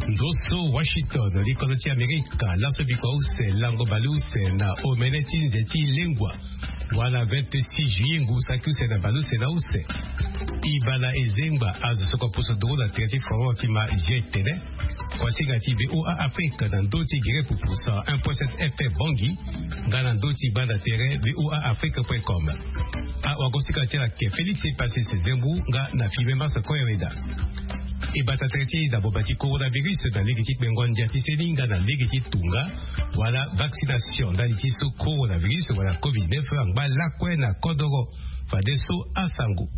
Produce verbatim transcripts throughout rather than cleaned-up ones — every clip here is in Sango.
Ndo so Washington, likolo ti Amerika, laso biko use lango baleuse na omene ti nze ti lengua wala vingt-six juillet ngu saki use na baleuse na use. Ibala ezengba azo soko poso doro na tere ti foro ti ma je tene. Kuasinga ti VOA Afrique na ndo ti gere pupu cent un point sept F M Bangui, nga na ndo ti banda tere VOA Afrique point com. Awakosika ti ala ke Félix Pacis Zembu nga na Filme Mars Koyaweda. E bata tere ti dabo bati coronavirus na lege ti kpengo ndia ti seni nga na lege ti tunga wala vaccination ndali ti so coronavirus wala covid neuf angba lakue na kodoro. Fadeso asango.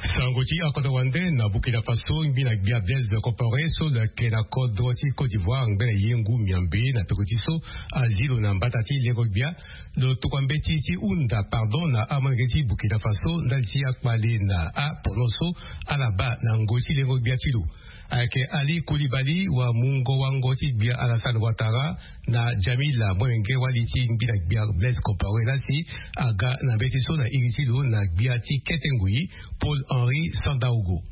Sango ti akodoro wande na Burkina Faso, ngbi na gbia Blaise Compaoré so lo yeke na kodro ti Côte d'Ivoire ngbene ye ngu miombe na peko ti so azi lo na mbata ti lengo gbia. Lo tokua mbeti ti hunda pardon na amolenge ti Burkina Faso ndali ti akpale na apono so ala baa na ngoi ti lengo gbia ti lo. Ayeke Ali Koulibaly wa mungo wango ti gbia Alassane Ouattara na Jamila molenge wali ti ngbi na gbia Blaise Compaoré lasi aga na mbeti so na iri ti lo na gbia ti kete ngoi Paul Henri Sandaogo.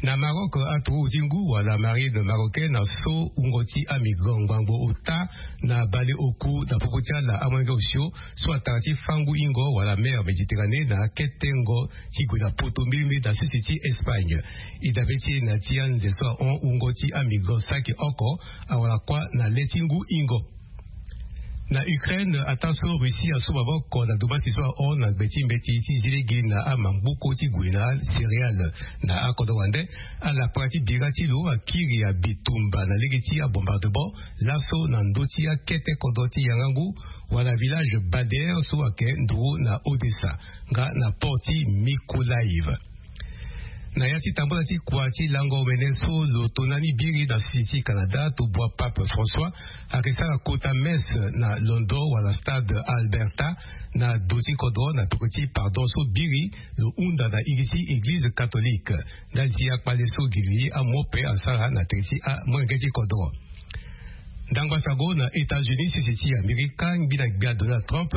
Na Maroc, aturugu ti ngu wala marine marocaine aso wungo ti amigrant ngbangbo ota na baleoku na popo ti ala amolenge osio so atara ti fangu hingo wala mer Méditerranée na ketengo ti gue na poto mbilimbili na sese ti Espagne. E dabe ti e na ti anze so ahon wungo ti amigrant saki oko awara kuâ na le ti ngu hingo. Na Ukraine, ataa so Russie asu maboko na domasi so ahon na gbe ti mbeti ti zi lege na amangbuku ti gue na céréale na akodro wande, alapara ti bira ti lo akiri abitumba na lege ti abombardement laso na ndö ti akete kodro ti yangangu wala village Bader so ayeke nduru na Odessa nga na port ti Mykolaiv. Na ya ti tambula ti kua ti lango omene so lo tona ni biri na sese ti Canada, tobua Pape François ayeke sara kota messe na londo wala stade Alberta na do ti kodro na peko ti pardon so biri lo hunda na iri ti Eglize catholique ndali ti akpale so gi li amope asara na tere ti amolenge ti kodro. Ndangba sango na États-Unis, sese ti Amerika, ngbi na gbia Donald Trump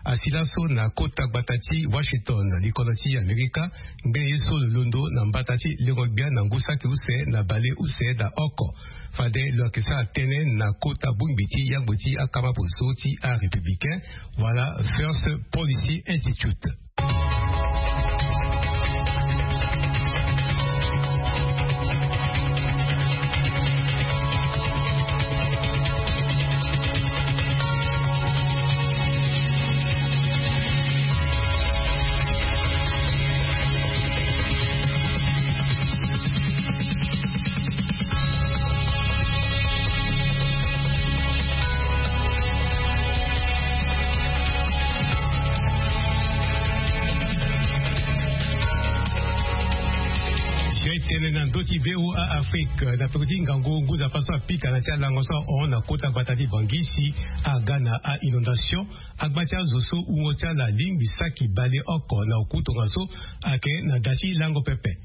asi laso na kota gbata ti Washington, likolo ti Amerika, ngbene ye so lo londo na mbata ti lengo gbia na ngu saki use na baleuse na oko. Fade lo yeke sara tënë na kota bongbi ti yangbo ti akama poso ti arépublicain wala First Policy Institute. Tënë na ndö ti VOA Afrique na peko ti ngangu ngu nzapa so apika na ti alango so ahon na kota gbata ti Bangui si aga na a-inondation. Agba ti azo so wungo ti ala alingbi saki baleoko na oku tongaso ayeke na da ti lango pepe.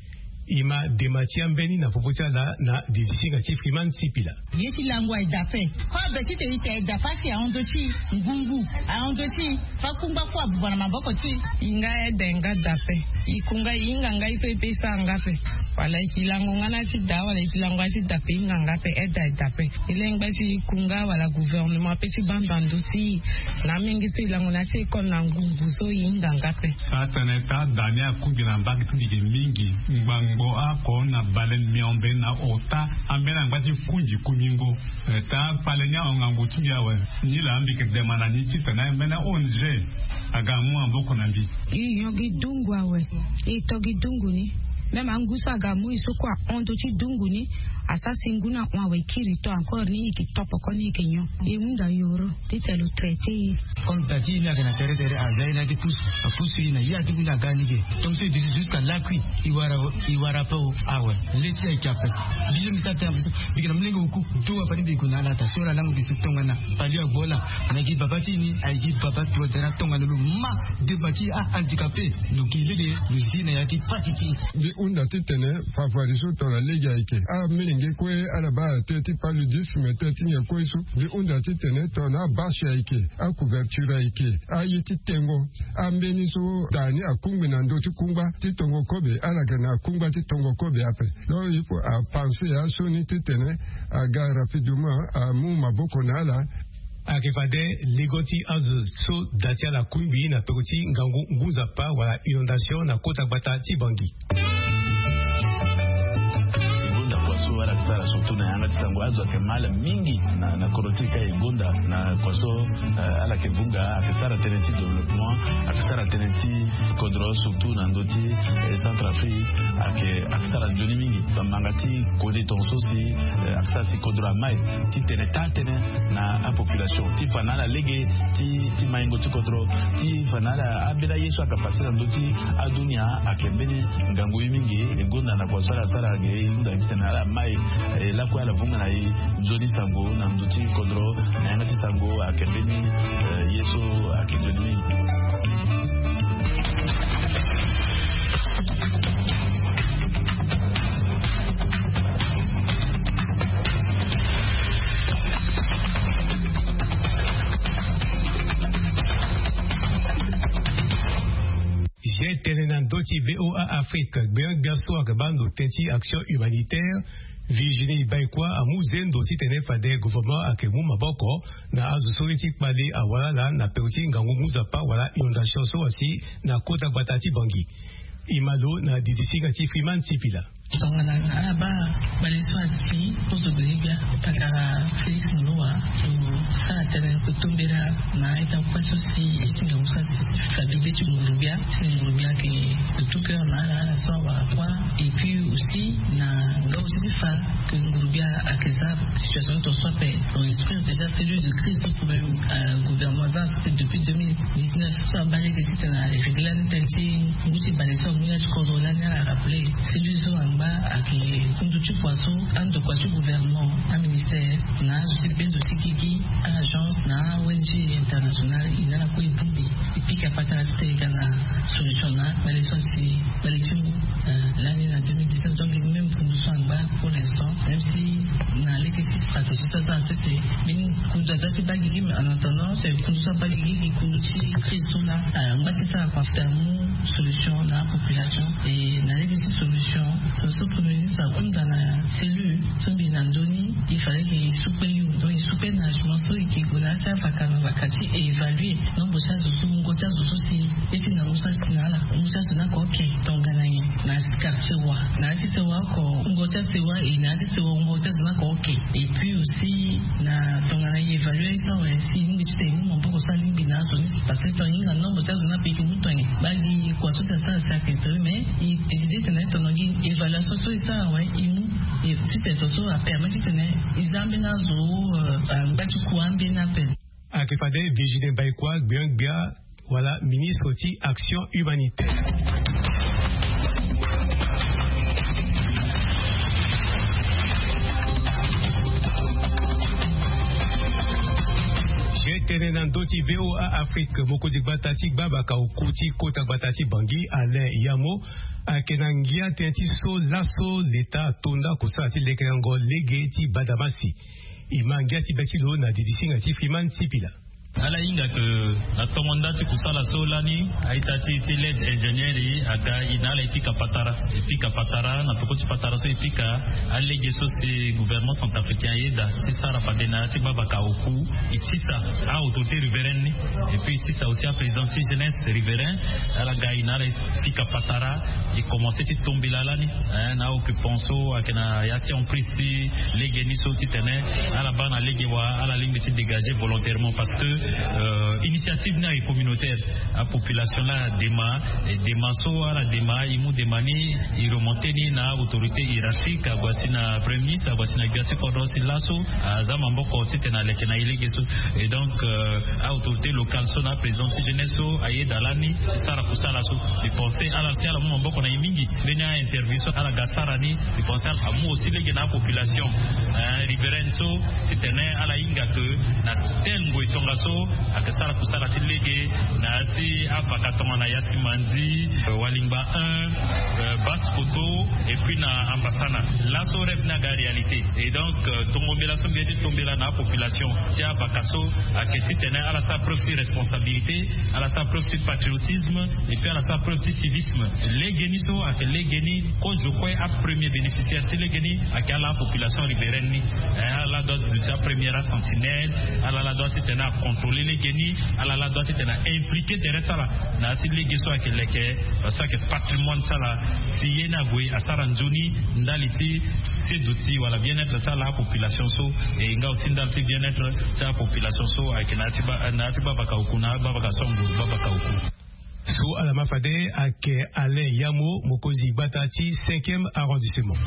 E ma dema ti ambeni na popo ti ala na didisinga ti Freeman Sipila. Ye ti lango aye daa ape. Kua be ti te ita aye daa ape asi ahon ndö ti ngungu, ahon ndö ti fa kungba kue abuba na maboko ti e. Nga aye daa nga daa ape. E ku nga e hinga nga ye so e pe e sara nga ape. Wala e yeke lango nga na ya ti daa wala e yeke lango ya ti daa ape e hinga nga ape, aye daa aye daa ape. E lingbi ti ku nga wala gouvernement ape ti baa ndo na ndö ti e. Na amolenge so e lango na ya ti école na ngungu so e hinga nga ape. Atene taa daa ni akungbi na mbage ti mbi ge mingi. Ngbangbo oko na bale miombe na ota ambeni angba ti kungi kungingo. Eh, taa kpale ni ahon ngangu ti mbi awe. Ni laa mbi yeke dema na ni titene ambeni O N G aga amu maboko na mbi. E nyon gi dungu awe. E to gi dungu ni. Même angu so aga amu e so kue ahon ndö ti dungu ni. Asara si ngu ni ahon awe e kiri to encore ni e yeke to poko ni e yeke nyon. E hunda yoro. Titene lo traité e. Comme da ti e ni ayeke na tere tere, aza e na ya ti pusu, apusu e na ya ti ngu ni aga ni ge. Donc so e duti jusqu'à lakui, e wara, e wara ape o, awe. Le ti e ayeke ape. Mbi so mbi sara tënë ape so, mbi yeke na molenge oku. Tongana fade mbi gue na ala daa so ala lango mbi so tongana. Fade agbo ala. Na gi baba ti e ni, ayeke gi baba tongana tongana lo ma dema ti ahandicapé. Lo gi lege, lo zi na ya ti pasi ti e. Mbi hunda titene fafari so tongana lege ayeke. Amolenge Ge kue ala baa tënë ti paludisme, tënë ti nyen kue so mbi hunda titene tongana abâche ayeke, acouverture ayeke, aye ti tengo, ambeni so daa ni akungbi na ndö ti kungba ti tongo kobe, ala yeke na kungba ti tongo kobe ape. Donc il faut apenser asioni titene aga rapidement amu maboko na ala. Ayeke fade lego ti azo so da ti ala akungbi na peko ti ngangu ngu nzapa wala inondation na kota gbata ti Bangui. Gonda kua so ala yeke sara surtout na yanga ti sango, azo ayeke mal mingi na, na kodro ti e ka e gonda na kua so, eh, ala yeke vunga, ayeke sara tënë ti développement, ayeke sara tënë ti kodro surtout na ndö ti, eh, Centrafrique, ayeke, ayeke sara nzoni mingi. Bamanga ti kode tongaso si, eh, ayeke sara si kodro amai titene taa tënë na apopulation ti fa na ala lege ti, ti maingo ti kodro, ti fa na ala ambeni aye so ayeke pase na ndö ti adunia. Ayeke mbeni ngangu ye mingi. E gonda na kua so ala sara ge, e hunda titene ala mai, eh, lakue ala vunga na e nzoni sango na ndö ti kodro na yanga ti sango. Ayeke mbeni, eh, ye so ayeke nzoni mingi. Ge tene na ndö ti VOA Afrique, gbia gbia so ayeke baa ndo tënë ti action humanitaire, Virginie Baïkoi amu zendo titene fade gouvernement ayeke mu maboko na azo so ye ti kpale awara ala na peko ti ngangu ngu nzapa wala inondation so asi na kota gbata ti Bangui. E ma lo na didisinga ti Freeman Sipila. Tongana ala baa kpale so asi poso gbele gbia, patara Félix Moloua lo sara tënë kotombela na ita kue so si ye ti ngangu so asi fa bebe ti nguru gbia, ti nguru gbia ayeke de tout cœur na ala, ala so awara kua. Et puis aussi na nga aussi ti fa que nguru gbia ayeke za situation ti tongaso ape. On inspire déjà cellule de crise so problème, euh, gouvernement aza, c'est depuis deux mille dix-neuf so abaa lege titene arégler ni tënë ti ngu ti bale so amu ya ti kodro lani. Ala rappeler cellule so angba ayeke kundu ti kua so andokua ti gouvernement, aministère na azo ti be ndo ti gigi, a-agence na a-ONG internationale, e na ala kue e bongbi, e pika patara titene e ga na solution na kpale so asi kpale ti ngu, euh, lani na deux mille dix-neuf. Donc même kundu so angba pour l'instant, même si na lege ti stratégie so aza na sese, mbeni kundu adoit ti baa gigi, mais en attendant, c'est kundu so abaa gigi, gi kundu ti crise so laa, euh, angba ti sara kua ti amu solution na apopulation. Et na lege ti solution, so, so Premier ministre ahunda na cellule so mbi na nzoni, il fallait que e sukpe yo. Donc e sukpe na agement so e ke gue na ya ti avaka na avaka ti e évaluer nombre ti azo so, wungo ti azo so si ye ti ngangu so asi na ala, wungo ti azo ni ako oke tongana nyen na ya ti quartier wa, na ya ti sewa oko, wungo ti asewa e, na ya ti sewa wungo ti azo ni ako oke. Et puis aussi na tongana e évaluer so awe, si e lingbi titene e mu maboko so alingbi na azo ni, parce que tongana e hinga nombre ti azo ni ape e ke mu tongana nyen. Baa gi kua so si asara si ayeke tere, mais e, e décide titene tongana gi évaluation so e sara awe, e mu, e, titene tongaso apermet titene e za ambeni azo, euh, angba ti kua ambeni ape. Ayeke fade Virginie Baïkoi, gbia gbia wala ministre ti action humanitaire. Ge tene na ndö ti VOA Afrique, mokonzi gbata ti gbabaka oku ti kota gbata ti Bangui, Alain Yamo, ayeke na ngia tënë ti so laso Leta ato nda kosala ti lekerengo lege ti badamasi. E ma ngia ti be ti lo na didisinga ti Freeman Sipila. Ala hinga ke na tongo nda ti kusala so lani, a-ita ti, ti lege ingénieur e aga e na ala e pika patara. E pika patara, na peko ti patara so e pika, alege so si gouvernement centrafricain ayeda ti sara fade na ya ti gbabaka oku, e tisa a-autorité riveraine ni, et puis e tisa aussi aprésident ti jeunesse riverain. Ala ga e na ala e pika patara, e commencé ti tombela lani, eh, na occupant so ayeke na ya ti emprise ti lege ni so titene ala baa na lege wa, ala lingbi ti dégager volontairement parce que, euh, initiative ni ayeke communautaire. Apopulation la adema, e dema so ala dema, e mu dema ni, e remonté ni na autorité hiérarchique, ague asi na premier ministre, ague asi na gbia ti kodro si laso aza maboko titene aleke na e lege so. Et donc, euh, a-autorité locale so na aprésident ti jeunesse so ayeda lani ti sara kusala so. E pensé ala si ala mu maboko na e mingi. Mbeni a-interview so ala ga sara ni, e pensé ala amu aussi lege na apopulation, eh, riveraine so, titene ala hinga ke na tel ngoi tongaso Ayeke sara kusala ti lege na ya ti avaka tongana ya simanzi, walingba un, basse koto, et puis na ambasana. Laso rêve ni aga réalité. Et donc tongombela so mbi ye ti tombela na apopulation ti avaka so ayeke titene ala sara preuve ti responsabilité, ala sara preuve ti patriotisme, et puis ala sara preuve ti civisme. Lege ni so ayeke lege ni kozo kue, apremier bénéficiaire ti lege ni ayeke ala apopulation riveraine ni. Ala la doit ti apremier asentinelle, ala la doit titene acontrôler lege ni, ala la doit titene aimpliquer tere ti ala na ya ti lege so ayeke leke, so ayeke patrimoine ti ala. Si ye ni ague asara nzoni ndali ti seduti wala bien-être ti ala apopulation so, e nga aussi ndali ti bien-être ti apopulation so ayeke na ya ti bavaka oku na bavaka so anguru bavaka oku. So ala ma fade ayeke Alain Yamo, mokonzi gbata ti cinquième arrondissement.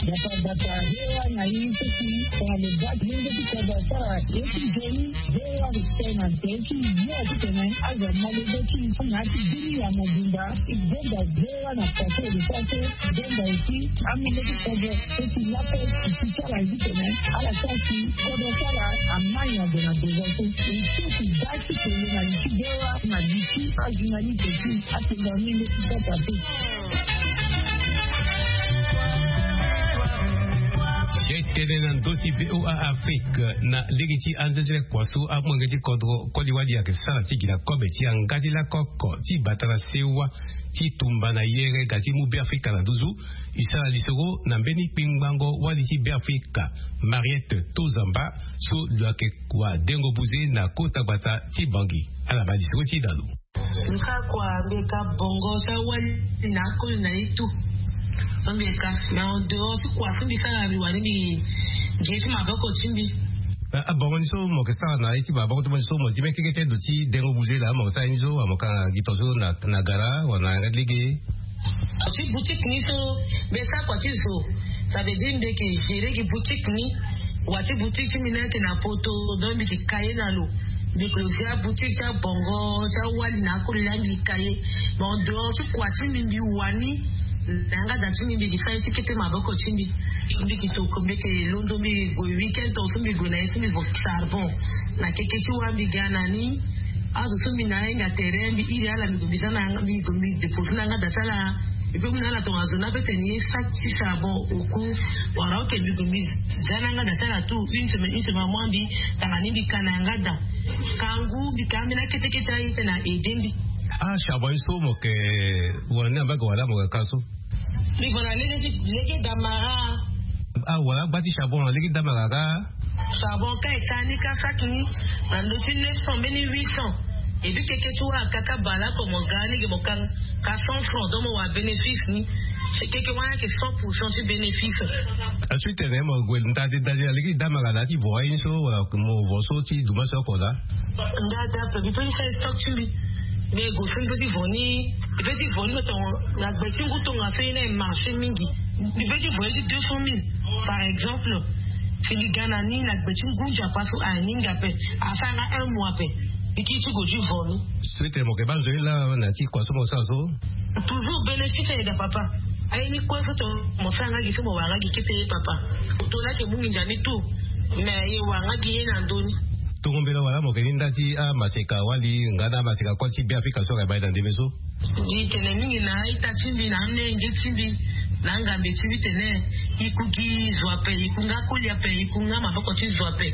Bata bata hewa na ye so si tongana lo baa ti ye nde ti kodro asara ye ti nzoni. Hewa respect na nze ti yo titene azo amolenge ti na ya ti bini ya mobimba ti benda hewa na pase de pase. Benda eti amolenge ti kodro eti lape eti ti ala ye titene ala sara si kodro ti ala amai na gue na besoin so. Eti eti baa ti tene na li ti hewa na li ti ajournaliste ti atenda amolenge ti sasa te. Ye tene na ndo ti VOA Afrique na lege ti anzenzele kua so amolenge ti kodro koli wali ayeke sara ti gi na kobe ti yanga ti lako oko ti bata na sewa ti tumba na yere ga ti mu Beafrika na nduzu. E sara lisoro na mbeni kpingbango wali ti Beafrika, Mariette Tozamba, so lo yeke kua dengo buze na kota gbata ti Bangui. Ala baa lisoro ti da lo. Nsa kua mbi ka bongo sa wali na akoli na ye tu. So mbi ka na en dehors ti kua so mbi sara mbi wani mbi gi ye ti maboko ti mbi. Abongo ni so mo yeke sara na ye ti maboko ti mo ni so mo ti mê keke ti ndo ti dengo buze laa mo yeke sara ye ni so wa mo ka gi tongaso na gara wala na yanga ti lege? Ti boutique ni so mbi sara kua ti zo. Ça veut dire mbi yeke gérer gi boutique ni. Wa ti boutique ti mbi ni ayeke na poto, donc mbi yeke ka ye na lo. Mbi yeke lo fia boutique ti abongo ti awali na akoli laa mbi ka ye. Mais en dehors ti kua ti mbi mbi wani na yanga da ti mbi mbi yeke sara ye ti kete maboko ti mbi. Mbi yeke toko mbi yeke londo mbi gue week-end tongaso mbi gue na ye so mbi vo charbon. Na keke ti wa mbi ga na ni. Azo so mbi na ahinga tere mbi iri ala mbi gue mbi za na yanga mbi gue mbi dépose na yanga da ti ala. Mbi pe mu na ala tongaso na pe tene ye sa ti charbon oku. Wala oke mbi gue mbi za na yanga da ti ala tout une semaine une semaine amois mbi tanga ni mbi ka na yanga da. Kangu mbi ka ambeni akete kete aye ti tene a aide mbi. Ah charbon ye so mo yeke wani na mbage wala mo yeke ka so? Mbi vo na lege ti lege damara. Ah wala agba ti charbon na lege damara ka. Charbon ka e ka ni ka saki ni na ndö ti neuf cents mbeni huit cents. Et puis keke ti wara kaka baleoko mo ga lege mo ka. Ka cent francs donc mo wara bénéfice ni. Keke wani ayeke cent pour cent ti bénéfice. Ensuite tene mo gue ndade ndade na lege ti damara na ya ti vo aye ni so wala mo vo so ti duma so oko laa? Ndade ape mbi pe ni sara stock ti mbi. Mais go so mbi pe ti vo ni, mbi pe ti vo ni lo tongo na gbe ti ngu tongaso ye na e marché mingi. Mbi pe ti vo ye ti deux cent mille, par exemple. Si mbi ga na ni na gbe ti ngu nzapa so aye ni ngi ape, asara nga un mois ape. Mbi kiri ti go ti vo ni. Suite mo yeke baa nzoni laa na ya ti kua so mo sara so. Toujours bénéfice ayeda papa. Aye ni kue so tongo mo sara nga gi so mo wara nga gi kete ye papa. Oto laa ayeke mu nginza ni tout. Mais aye wara nga gi ye na ndö ni. Tongo mbela wala mo yeke ni nda ti amaseka wali nga na amaseka kue ti Beafrika so ayeke baa ye na ndembe so. Mbi tene mingi na a-ita ti mbi na amolenge ti mbi, na angambe ti mbi tene, e ku gi zo ape, e ku nga koli ape, e ku nga maboko ti zo ape.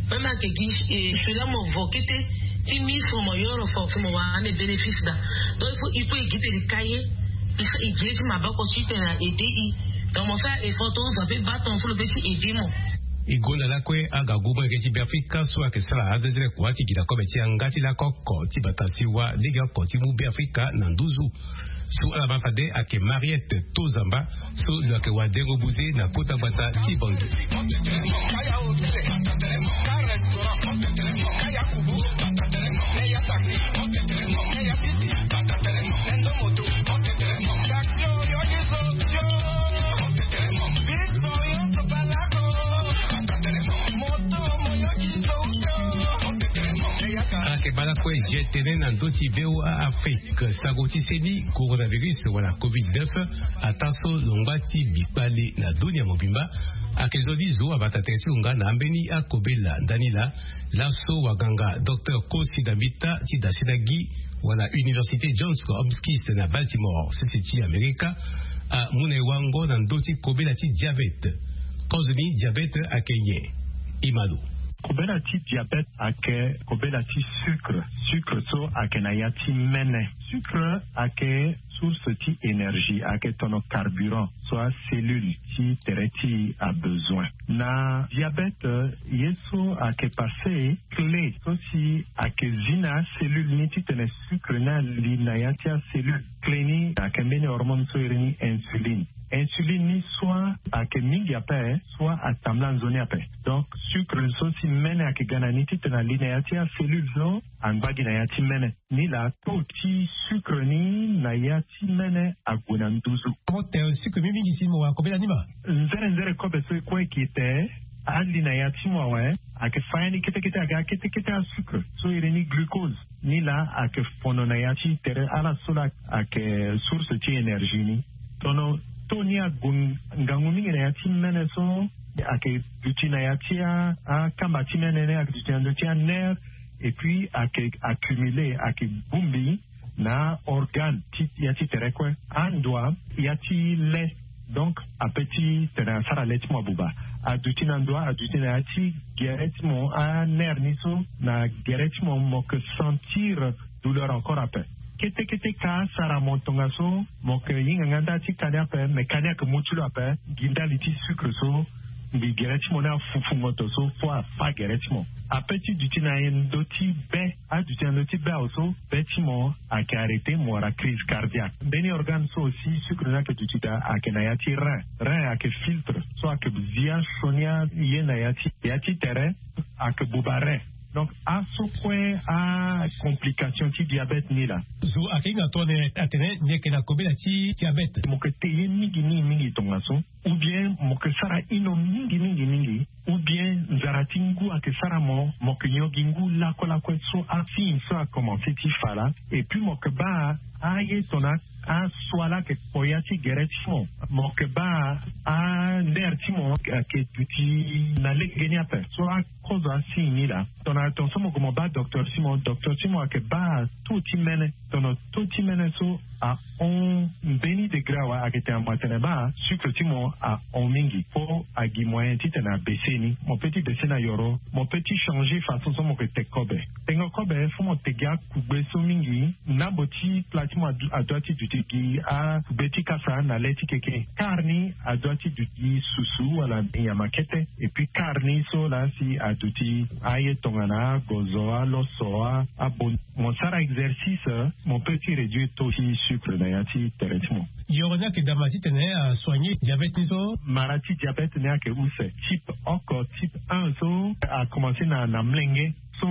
Même ayeke gi cela mo vo kete ti ministre mo yoro fo so mo wara ande bénéfice daa. Donc il faut e gi tene e ka ye, e gi ye ti maboko ti tene a aide e. Donc mo sara effort tongaso ape baa tongaso lo pe ti aide mo. E gonda lakue aga gu molenge ti Beafrika so ayeke sara azezele kua ti gi na kobe ti yanga ti lako oko ti bata siwa lege oko ti mu Beafrika na nduzu. So ala ma fade ayeke Mariette Tozamba, so lo yeke wadengo buze na kota gbata ti Bangui. Ala yeke baa lakue, je tene na ndö ti V O A Afrique, sango ti seni coronavirus wala covid neuf ataa so lo ngba ti bi kpale na dunia mobimba. Ayeke zo ni zo abata tere ti lo nga na ambeni akobela ndani laa. Laso waganga docteur Kosi Dambita ti Dasinagi wala Université Johns Hopkins na Baltimore, sese ti Amerika, amu na e wango na ndö ti kobela ti diabete. Kozo ni diabete ayeke nyen? E ma lo. Kobela ti diabete ayeke kobela ti sucre. Sucre so ayeke na ya ti mene. Sucre ayeke source ti énergie, ayeke tono carburant so acellule ti tere ti e abezoin. Na diabete, ye so ayeke passe, clé so si ayeke zi na acellule ni titene sucre ni ali na ya ti acellule. Clé ni ayeke mbeni hormone so iri ni insuline. Insuline ni soit ayeke mingi ape, soit atambula nzoni ape. Donc sucre so si mene ayeke ga na ni titene ali na ya ti acellule so angba gi na ya ti mene. Ni laa taux ti sucre ni na ya ti mene ague na nduzu. Mo te sucre mingi mingi si mo wara kobela ni ma. Nzere nzere kobe so e kue e ke te, ali na ya ti mo awe, ayeke fa ya ni kete kete, aga kete kete asucre so iri ni glucose. Ni laa ayeke fono na ya ti tere ala so laa ayeke source ti énergie ni. Tono taux ni ague ngangu mingi na ya ti mene so ayeke duti na ya ti a, akamba ti mene ni ayeke duti na ndö ti anerf, et puis ayeke accumulé, ayeke bongbi na organe ti ya ti tere kue. Andoa ya ti le, donc ape ti tene asara le ti mo abuba. Aduti na ndoa, aduti na ya ti gere ti mo, anerf ni so na gere ti mo, mo yeke sentir douleur encore ape. Kete kete ka asara mo tongaso, mo yeke hinga nga nda ti ka ni ape, mais ka ni ayeke mu ti lo ape. Gi ndali ti sucre so, mbi gere ti mo ni afufu ngoto so fo afa gere ti mo. Ape ti duti na ndö ti be, aduti na ndö ti be awe so, be ti mo ayeke arrêté, mo wara crise cardiaque. Mbeni organe so aussi sucre ni ayeke duti daa ayeke na ya ti rein. Rein ayeke filtre so ayeke zi asioni aye na ya ti, ya ti tere, ayeke buba rein. Donc aso kue acomplication ti diabete ni laa. Zo ayeke hinga tongana atene ni yeke na kobela ti diabete. Mo yeke te ye mingi mingi mingi tongaso, ou bien mo yeke sara hino mingi mingi mingi, ou bien nzara ti ngu ayeke sara mo, mo yeke nyon gi ngu lakue lakue so asigne so akomanse ti fa laa. Et puis mo yeke baa aye tongana asua laa ayeke kpo ya ti gere ti mo. Mo yeke baa anerf ti mo ayeke duti na lege ni ape. So akozo asigne ni laa. Tongana tongaso mo gue mo baa docteur ti mo, docteur ti mo ayeke baa taux ti mene. Tongana taux ti mene so ahon mbeni degré awe, ayeke tene mo atene baa sucre ti mo ahon mingi. Fo agi moyen titene abaisse ni. Mo peut ti baisse na yoro, mo peut ti changer façon so mo yeke te kobe. Tengo kobe fo mo te gi akugbe so mingi. Ndambo ti plat ti mo adu-, adoit ti duti gi akugbe ti kasa na le ti keke. Quart ni adoit ti duti gi susu wala nyama kete. Et puis quart ni so laa si aduti aye tongana agozo, aloso, a, abon. Mo sara exercice, mo peut ti réduire taux ti sucre na ya ti tere ti mo. Yoro ni ayeke dama titene asoigner diabete ni so. Mara ti diabete ni ayeke use. Type oko, type un so akomanse na, na molenge. So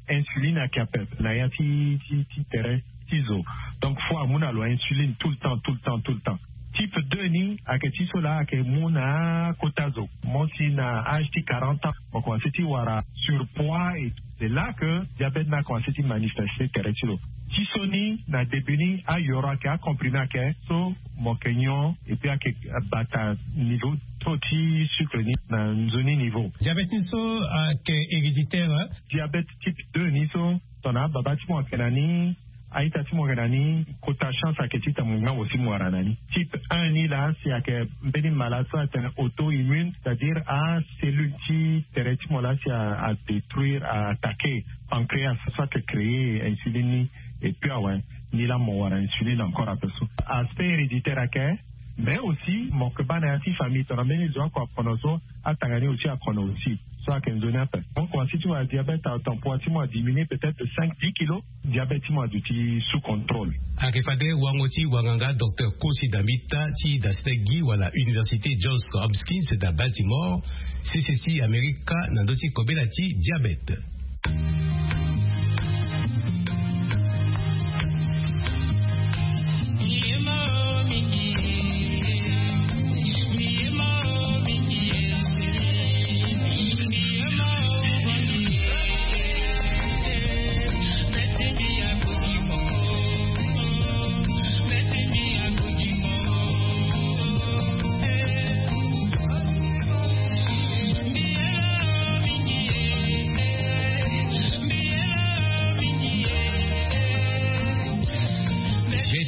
insuline ayeke ape na ya ti, ti, ti tere. ti zo. Donc fo amu na lo insuline tout le temps, tout le temps, tout le temps. Type deux ni ayeke ti so laa ayeke mu na akota zo. Mo si na âge ti quarante ans mo komanse ti wara surpoids et c'est là que diabète ni akomanse ti manifeste tere ti lo. Ti so ni na début ni ayoro ayeke, acomprimé ayeke, so mo yeke nyon et puis ayeke bata niveau taux ti sucre ni na nzoni niveau. Diabète ni so ayeke héréditaire? Diabète type deux ni so tongana ababa ti mo ayeke na ni, a-ita ti mo ayeke na ni, kota chance ayeke ti tene mo ngangu si mo wara na ni. Type un ni laa si ayeke mbeni malade so atene auto-immune, c'est-à-dire acellule ti tere ti mo laa si adétruire, a attaquer pancréas so ayeke créer insuline ni. Et puis awe, ni laa mo wara insuline encore ape so. Aspect héréditaire ayeke. Mais aussi mo yeke baa na ya ti famille tongana mbeni zo oko akono so, atanga ni aussi akono aussi. So ayeke nzoni ape. Mo komanse ti wara diabète à temporaire ti mo adiminuer peut-être de cinq dix kilos. Diabète ti mo aduti sous contrôle. Ayeke fade wango ti wanganga docteur Kosi Dambita ti dasite gi wala Université Johns Hopkins na Baltimore, sese ti Amerika, na ndö ti kobela ti diabète.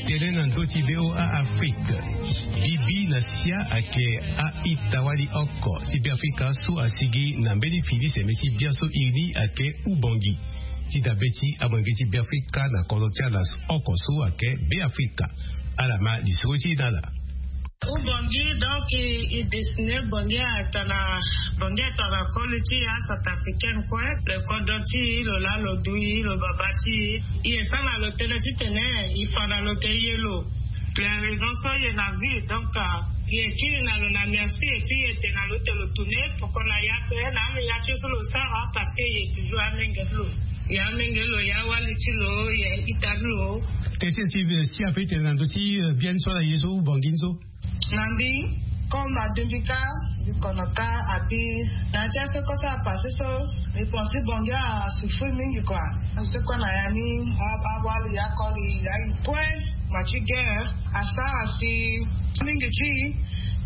Tene na ndö ti V O A Afrique. Bibi na sia ayeke a-ita wali oko ti Beafrika so asigi na mbeni fini seme ti biaso iri ni ayeke Ubongi. Ti dabe ti amolenge ti Beafrika na kodro ti ala oko so ayeke Beafrika. Ala ma lisoro ti e na ala. Ubongi, donc, e, e dessiner Bongi atana, Bongi atana koli ti aCentrafricaine kue, le kodro ti e, lo laa lo dui, lo baba ti e. E sara na lo tënë titene e fa na lo ke ye lo. Le raison so e ye na vie, donc, euh, e kiri na lo na merci, et puis e tene na lo te lo tourner, pourquoi na ya ape, na ame ya ti so lo sara, parce que e toujours amenge ti lo. E amenge ti lo, e awali ti lo, e ita ti lo. Teti si, si ape tene na ndö ti, euh, bien so na ye so, Ubongi so. Na mbi, comme adumbi ka, mbi kono ka, abi, na ya ti aso kosa apassé so, mbi pense Bongi asouffrir mingi quoi. Parce que na ya ni, a, awali, akoli, aye kue, ma ti guerre, asara si mingi ti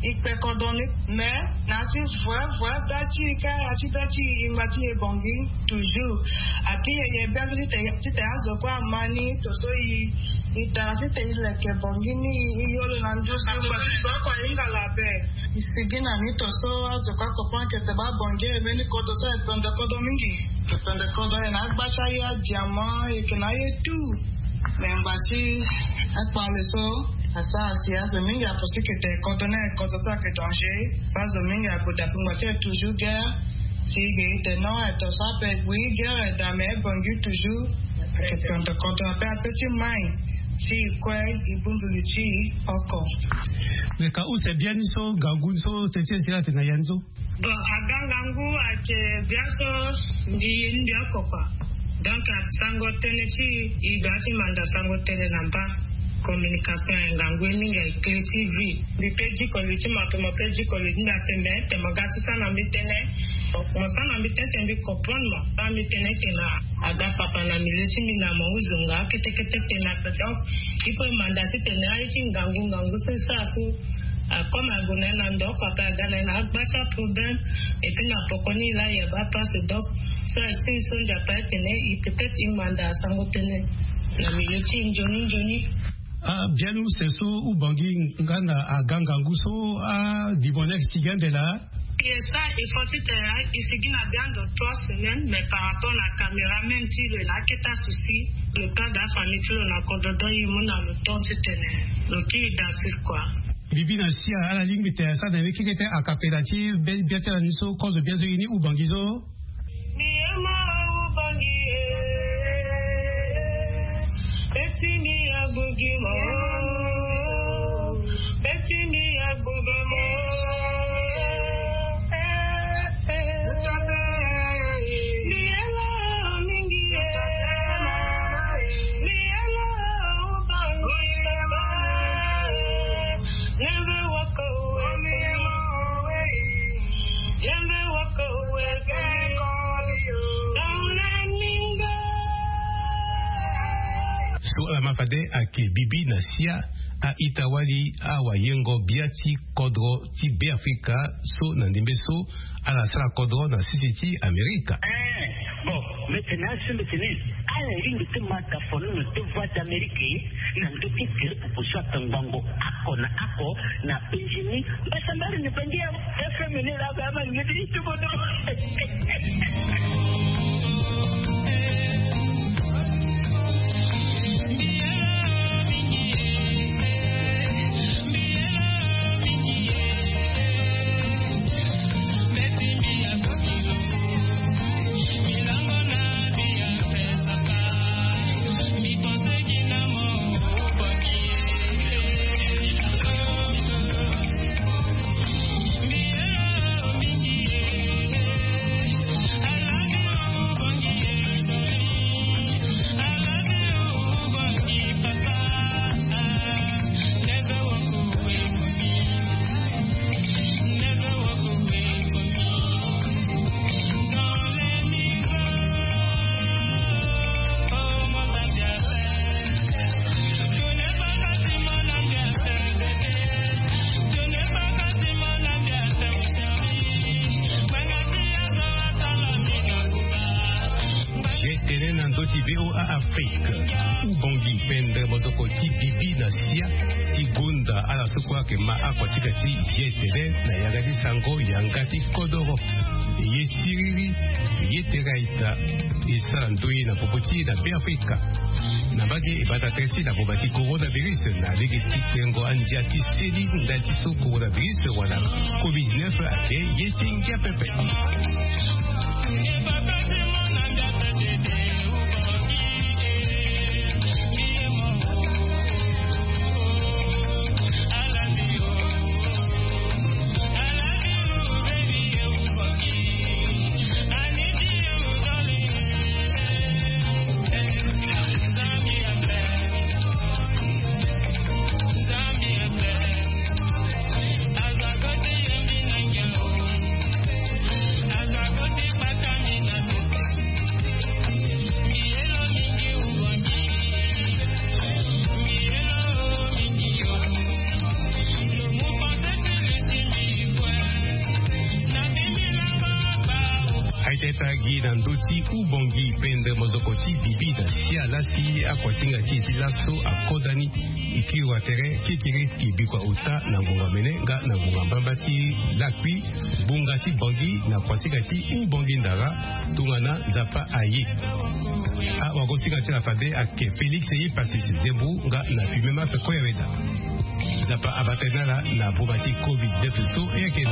e kpe kodro ni, mais na ya ti vrai, vrai bê ti e ka, ya ti bê ti e, e ngba ti e Bongi, toujours. Api e ye bê ti tene, ti tene azo kue ama ni, to so e, e tara ti tene e leke Bongi ni, e yo lo na nduzu, parce que so oko ahinga la bê. E sigi na ni to so azo kue acomprendre que te baa Bongi e mbeni kodro so e kpende kodro mingi. E kpende kodro, e na agba ti aye, adiamant, e yeke na aye tout. Me ngba ti akpale so asara si azo mingi apenser que te kodro ni ayeke kodro so ayeke danger. So azo mingi ague dape ngba ti e toujours guerre. Si e ge e te non, e to so ape e gue guerre, e daa me Bongi toujours. Ayeke kpende kodro ape, ape ti mai. Si e kue e bongbi li ti e oko. Me ka use bien ni so, ngangu ni so, teti e si la tene na ya ni so. Bon, aga ngangu ayeke bien so, mbi ye ni mbi oko quoi. Donc sango tënë ti e, e doit ti manda sango tënë na mba. Communication ayeke ngangu ye mingi, ayeke clé ti vie. Mbi pe diko li ti mo ape, mo pe diko li ti mbi ape, me te mo ga ti sara na mbi tënë. Mo sara na mbi tënë te mbi comprendre mo, sara mbi tënë te na aga papa na milieu ti mbi na mo, huzonga kete kete tene ape. Donc il faut e manda titene aye ti ngangu ngangu so e sara so, a comme ague na ye na ndo oko ape, aga na ye na agba ti aproblème. Et puis na poko ni laa e yamba apasse, donc so aye ti e so Nzapa atene e peut-être e manda sango tënë na milieu ti e nzoni nzoni. Ah, bien use so Ubongi nga na aga ngangu so, ah, dibonnet sigi ande laa. E sa, il faut ti tene e sigi na bien de trois semaines, mais par rapport na caméra même ti lo, e na akete asouci, le père de la famille ti lo na kodro, donc e mu na lo temps titene lo kiri dansis quoi. Bibi na sia, ala lingbi tene asara na ye kekete a cappella ti be-, bia ti ala ni so, kozo bia so ye ni Ubongi so. So ala ma fade ayeke bibi na sia a-ita-wali awayengo-bia ti kodro ti Beafrika so na ndembe so ala sara kodro na sese ti Amerika. Bon, mete na asembe tene ala iri mbi te ma ta fono na te Voix d'Amérique na ndö ti gere popo so ata ngbangbo ako na ako na penjini mbasambari ni bangi ya F M ni la ba ma ngedi ti bodo. Ye tene na ndö ti V O A Afrique. Ubongi pendre mozoko ti bibi na sia ti gonda ala so kue ayeke ma akuasika ti ye tene na yanga ti sango yanga ti kodoro. Ye siriri, ye tere aita. E sara ndoye na popo ti e na Beafrika. Na mbage e bata tere ti na boma ti coronavirus na lege ti tengo andia ti seli ndali ti so coronavirus wala covid neuf ayeke ye ti ngia pepe. Aita e tara gi na ndö ti ubongi pendre mozoko ti bibi na sia lasi akuasinga ti e ti laso akodani. E kiri wa tere kekere e bikua ota na ngonga mene nga na ngonga mbamba ti lakui. Ngbonga ti bongi na kuasinga ti ubongi ndara. Tongana Nzapa aye. Awagosinga ti ala fade ayeke Félix Epassis Zembo nga na Fumé Massa Koyaweda. Nzapa abata na ala na boma ti covid neuf so e yeke.